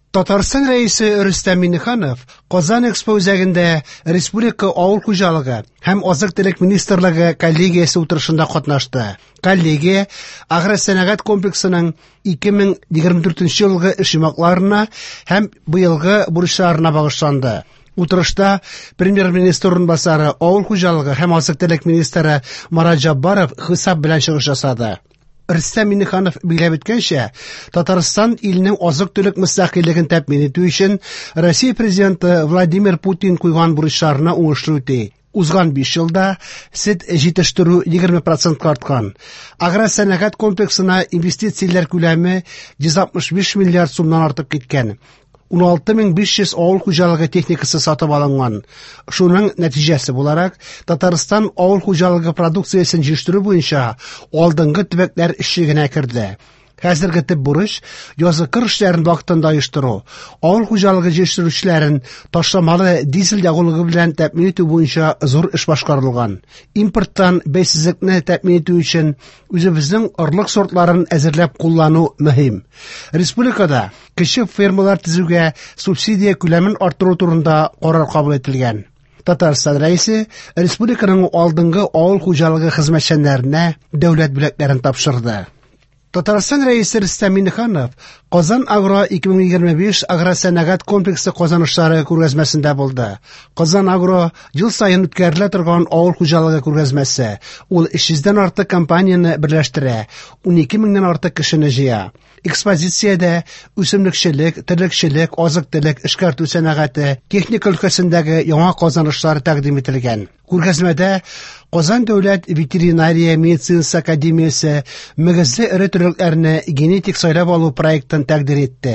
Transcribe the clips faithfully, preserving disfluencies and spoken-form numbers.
Татарстан Рәисе Рөстәм Миңнеханов Казан Экспо үзәгендә Республика авыл хуҗалыгы һәм азык-төлек министрлыгы коллегиясе утырышында катнашты. Коллегия агросәнәгать комплексының ике мең егерме дүртенче елгы эш йомгакларына һәм быелгы бурычларына багышланды. Утырышта премьер-министр урынбасары, авыл хуҗалыгы һәм азык-төлек министры Марат Җаббаров хисап белән чыгыш ясады. Рөстәм Миңнеханов билгеләп үткәнчә, Татарстан илнең азык-төлек мөстәкыйльлеген тәэмин итү өчен Россия президенты Владимир Путин куйган бурычларны уңышлы үти. Узган биш елда сөт җитештерү егерме процентка арткан. Агросәнәгать комплексына инвестицияләр күләме йөз алтмыш биш миллиард сумнан артып киткән. ун алты мең биш йөз авыл хуҗалыгы техникасы сатып алынган. Шуның нәтиҗәсе буларак, Татарстан авыл хуҗалыгы продукциясен җитештерү буенча алдынгы төбәкләр өчлегенә керде. Хәзерге төп бурыч язгы кыр эшләрен вакытында оештыру, авыл хуҗалыгы җитештерүчеләрен ташламалы дизель ягулыгы белән тәэмин итү буенча зур эш башкарылган. Импорттан бәйсезлекне тәэмин итү өчен үзебезнең орлык сортларын әзерләп куллану мөһим. Республикада кече фермалар төзүгә субсидия күләмен арттыру турында карар кабул ителгән. Татарстан Рәисе республиканың алдынгы авыл хуҗалыгы хезмәтчәннәренә дәүләт бүләкләрен тапшырды. Татарстан Рәисе Рөстәм Миңнеханов Казан Агро ике мең егерме биш агросәнәгать комплексы казанышлары күргәзмәсендә булды. Казан Агро ел саен үткәрелә торган авыл хуҗалыгы күргәзмәсе. Ул өч йөздән артык компанияне берләштерә, унике меңнән артык кешене җыя. Экспозициядә үсемлекчелек, терлекчелек, азык-төлек, эшкәртү сәнәгате, техника өлкәсендәге яңа казанышлар тәкъдим ителгән. Күргәзмәдә Казан дәүләт ветеринария медицинасы академиясе мөгезле эре терлекләрне генетик сайлап алу проектын тәкъдир итте.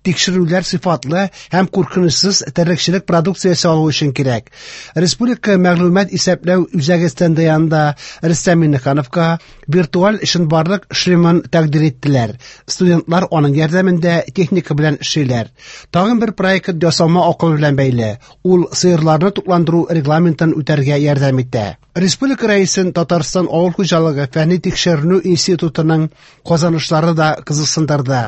Тикшерүләр сыйфатлы һәм куркынычсыз терлекчелек продукциясе алу өчен кирәк. Республика мәгълүмат исәпләү үзәге стенды янында Рөстәм Миңнехановка виртуаль чынбарлык шлемын тәкъдир иттеләр. Студентлар аның ярдәмендә техника белән эшлиләр. Тагын бер проект ясалма акыл белән бәйле. Ул сыерларны тукландыру регламентын үтәргә ярдәм итә. Республика Рәисен Татарстан авыл хуҗалыгы фәнни тикшеренү институтының казанышлары да кызыксындырды.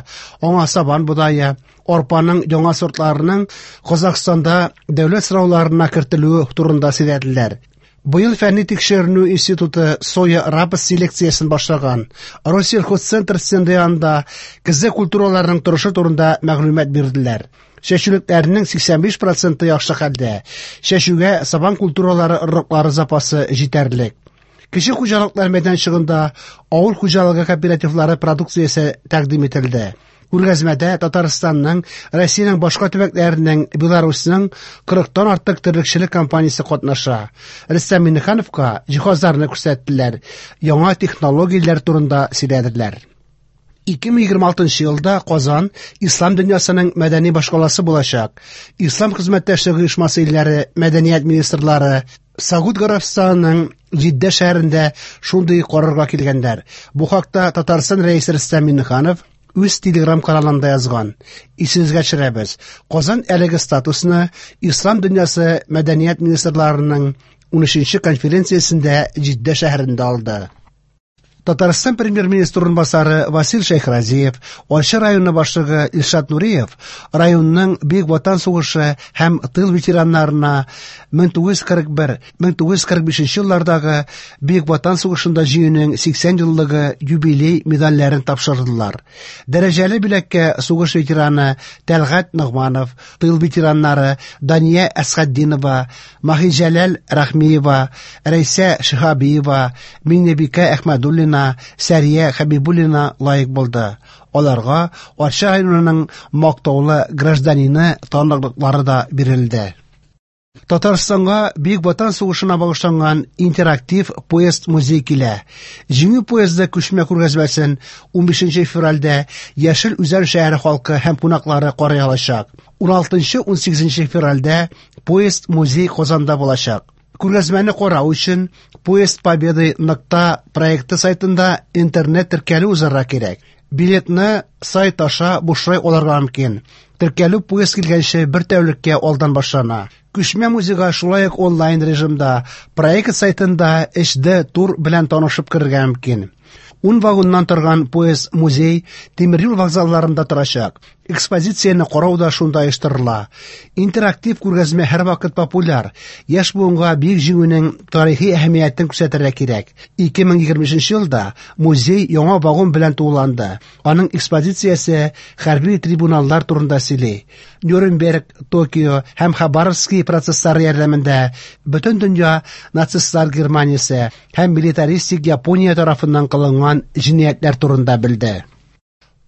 Аңа сабан бодае, арпаның яңа сортларының Казахстанда дәүләт сынауларына кертелүе турында сөйләделәр. Быел фәнни тикшеренү институты соя рапс селекциясен башлаган. Россельхозцентр стенды янында көзге культураларның торышы турында мәгълүмат бирделәр. Чәчүлекләрнең сиксән биш проценты яхшы хәлдә. Чәчүгә сабан культуралары орлыклары запасы җитәрлек. Кече хуҗалыклар мәйданчыгында авыл хуҗалыгы кооперативлары продукциясе тәкъдим ителде. Күргәзмәдә Татарстанның, Россиянең башка төбәкләренең, Беларусьның кырыктан артык терлекчелек компаниясе катнаша. Рөстәм Миңнехановка җиһазларны күрсәттеләр, яңа технологияләр турында сөйләделәр. Ике мең егерме алтынчы елда Казан ислам дөньясының мәдәни башкаласы булачак. Ислам хезмәттәшлеге оешмасы илләре мәдәният министрлары Сауд Гарәбстанының Җиддә шәһәрендә шундый карарга килгәннәр. Бу хакта Татарстан Рәисе Рөстәм Миңнеханов үз телеграм каналында язган. Исегезгә төшерәбез. Казан әлеге статусны Ислам дөньясы мәдәният министрларының унөченче конференциясендә Җиддә шәһәрендә алды. Татарстан премьер-министр урынбасары Васил Шәйхразиев, Арча районы башлыгы Илшат Нуриев районның Бөек Ватан сугышы һәм тыл ветераннарына мең тугыз йөз кырык бер, мең тугыз йөз кырык бишенче еллардагы Бөек Ватан сугышында җиңүнең сиксән еллыгы юбилей медальләрен тапшырдылар. Дәрәҗәле бүләккә сугыш ветераны Тәлгать Ногманов, тыл ветераннары Дания Әсхәтдинова, Маһиҗәләл Рәхмиева, Рәйсә Шиһабиева, Миңнебикә Әхмәдуллина, Сәрия Хәбибуллина лаек булды. Аларга Арча районының мактаулы гражданины таныклыклары да бирелде. Татарстанга Бөек Ватан сугышына багышланган интерактив поезд музей килә. Җиңү поезды күчмә күргәзмәсен унбишенче февральдә Яшел Үзән шәһәре халкы һәм кунаклары карый алачак. Уналтынчы, унсигезенче февральдә поезд музей Казанда булачак. Күргәзмәне карау өчен Поезд Победы нокта проекты сайтында интернет теркәлү узарга кирәк. Билетны сайт аша бушлай алырга мөмкин. Теркәлү поезд килгәнче бер тәүлеккә алдан башлана. Күчмә музейга шулай ук онлайн режимда проект сайтында эйч ди тур белән танышып керергә мөмкин. Ун вагоннан торган поезд музей тимер юл вокзалларында торачак. Экспозицияне карау да шунда оештырыла. Интерактив күргәзмә һәрвакыт популяр. Яшь буынга Бөек Җиңүнең тарихи әһәмиятен күрсәтергә кирәк. ике мең егерме өченче елда музей яңа вагон белән тулыланды. Аның экспозициясе хәрби трибуналлар турында сөйли. Нюрнберг, Токио һәм Хабаровский процесслары ярдәмендә бөтен дөнья нацистлар Германиясе һәм милитаристик Япония тарафыннан кылынган җинаятьләр турында белде.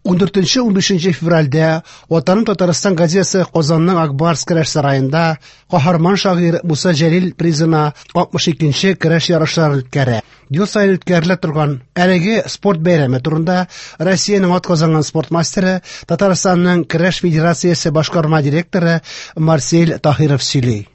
Ундүртенче унбишенче февральдә Ватаным Татарстан газетасы Казанның Акбарс көрәш сараенда каһарман шагыйрь Муса Җәлил призына алтмыш икенче көрәш ярышларын үткәрә. Ел саен үткәрелә торган әлеге спорт бәйрәме турында Россиянең атказанган спорт мастеры, Татарстанның көрәш федерациясе башкарма директоры Марсель Таһиров сөйли.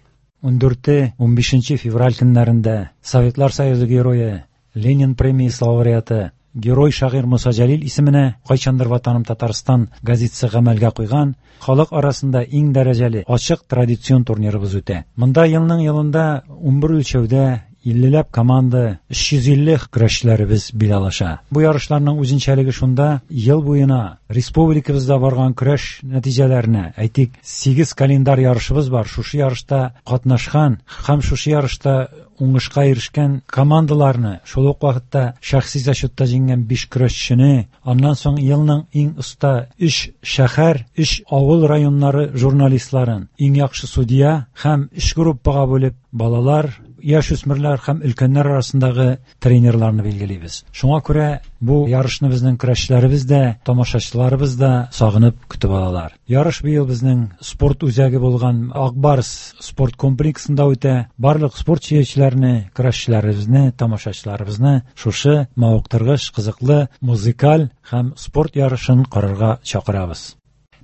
Ундүрте унбишенче февраль көннәрендә Советлар Союзы герое, Ленин премиясе лауреаты, герой шагыйрь Муса Җәлил исеменә кайчандыр Ватаным Татарстан газетасы гамәлгә куйган халык арасында иң дәрәҗәле ачык традицион турнирыбыз үтә. Монда елның елында унбер үлчәүдә иллеләп команда, өч йөз илле көрәшчеләребез бил алыша. Бу ярышларның үзенчәлеге шунда, ел буена республикабызда барган көрәш нәтиҗәләренә, әйтик, сигез календарь ярышыбыз бар. Шушы ярышта катнашкан һәм шушы ярышта уңышка ирешкән командаларны, шул ук вакытта шәхси зачетта җиңгән биш көрәшчене, аннан соң елның иң оста өч шәһәр, өч авыл районнары журналистларын, иң яхшы судья һәм өч группага бүлеп балалар, яшүсмерләр һәм өлкәннәр арасындагы тренерларны билгелибез. Шуңа күрә бу ярышны безнең көрәшчеләребез дә, тамашачыларыбыз да сагынып көтеп алалар. Ярыш быел безнең спорт үзәге булган Акбарс спорт комплексында үтә. Барлык спорт сөючеләрне, көрәшчеләребезне, тамашачыларыбызны шушы мавыктыргыч, кызыклы музыкаль һәм спорт ярышын карарга чакырабыз.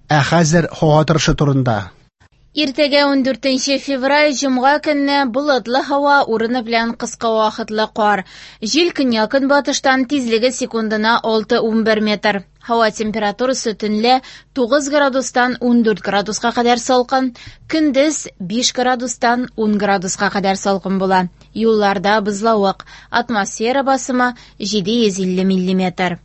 Ә хәзер һава торышы турында. Иртәгә ундүртенче февраль җомга көнне болытлы һава, урыны белән кыска вакытлы кар. Җил көньяк-көнбатыштан, тизлеге секундына алты унбер метр. Һава температурасы төнлә тугыз градустан ундүрт градуска кадәр салкын, көндез биш градустан ун градуска кадәр салкын була. Юлларда бозлавык, атмосфера басымы җиде йөз илле миллиметр.